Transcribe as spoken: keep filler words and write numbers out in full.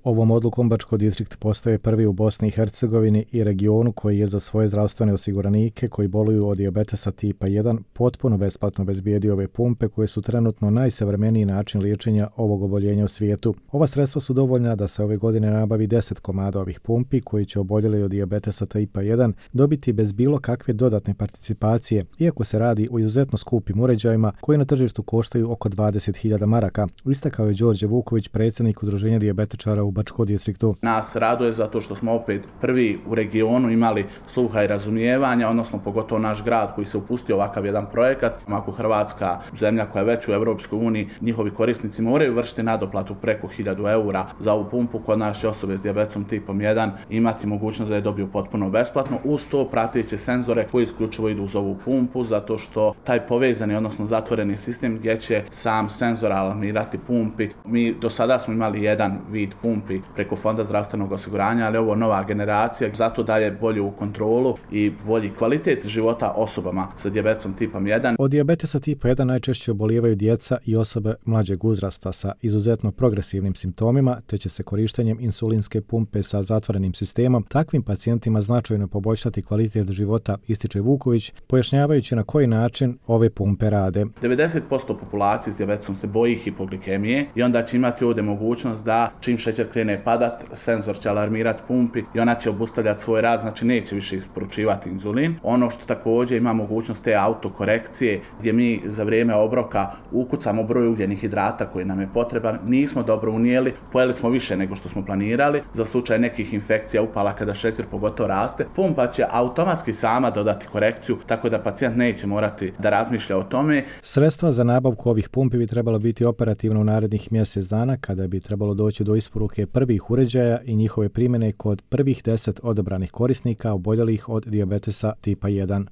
Ovom odlukom Bačko distrikt postaje prvi u Bosni i Hercegovini i regionu koji je za svoje zdravstvene osiguranike koji boluju od dijabetesa tipa jedan potpuno besplatno obezbijedio ove pumpe koje su trenutno najsavremeniji način liječenja ovog oboljenja u svijetu. Ova sredstva su dovoljna da se ove godine nabavi deset komada ovih pumpi koji će oboljeli od dijabetesa tipa jedan dobiti bez bilo kakve dodatne participacije, iako se radi o izuzetno skupim uređajima koji na tržištu koštaju oko dvadeset hiljada maraka, istakao je Đorđe Vuković, predsjednik Udruženja dijabetičara u Bačkom distriktu. Nas raduje zato što smo opet prvi u regionu imali sluha i razumijevanja, odnosno pogotovo naš grad koji se upustio ovakav jedan projekat. Ako Hrvatska, zemlja koja je već u Europskoj uniji, njihovi korisnici moraju vršiti nadoplatu preko hiljadu eura za ovu pumpu, kod naše osobe s dijabetesom tipom jedan imati mogućnost da je dobiju potpuno besplatno, uz to prateće senzore koji isključivo idu uz ovu pumpu, zato što taj povezani, odnosno zatvoreni sistem gdje će sam senzor alarmirati pumpi. Mi do sada smo imali jedan vid pumpi preko Fonda zdravstvenog osiguranja, ali ovo nova generacija zato daje bolju kontrolu i bolji kvalitet života osobama sa dijabetesom tipom jedan. Od dijabetesa tipa jedan najčešće obolijevaju djeca i osobe mlađeg uzrasta sa izuzetno progresivnim simptomima, te će se korištenjem insulinske pumpe sa zatvorenim sistemom takvim pacijentima značajno poboljšati kvalitet života, ističe Vuković, pojašnjavajući na koji način ove pumpe rade. devedeset posto populacije s dijabetesom se boji hipoglikemije i onda će imati ovdje mogućnost da čim šećer krene padat, senzor će alarmirati pumpi i ona će obustavljati svoj rad, znači neće više isporučivati inzulin. Ono što također ima mogućnost te autokorekcije gdje mi za vrijeme obroka ukucamo broj ugljenih hidrata koji nam je potreban, nismo dobro unijeli, pojeli smo više nego što smo planirali, za slučaj nekih infekcija upala kada šećer pogotovo raste, pumpa će automatski sama dodati korekciju, tako da pacijent neće morati da razmišlja o tome. Sredstva za nabavku ovih pumpi bi trebalo biti operativno u narednih mjesec dana, kada bi trebalo doći do isporuke prvih uređaja i njihove primjene kod prvih deset odabranih korisnika oboljelih od dijabetesa tipa jedan.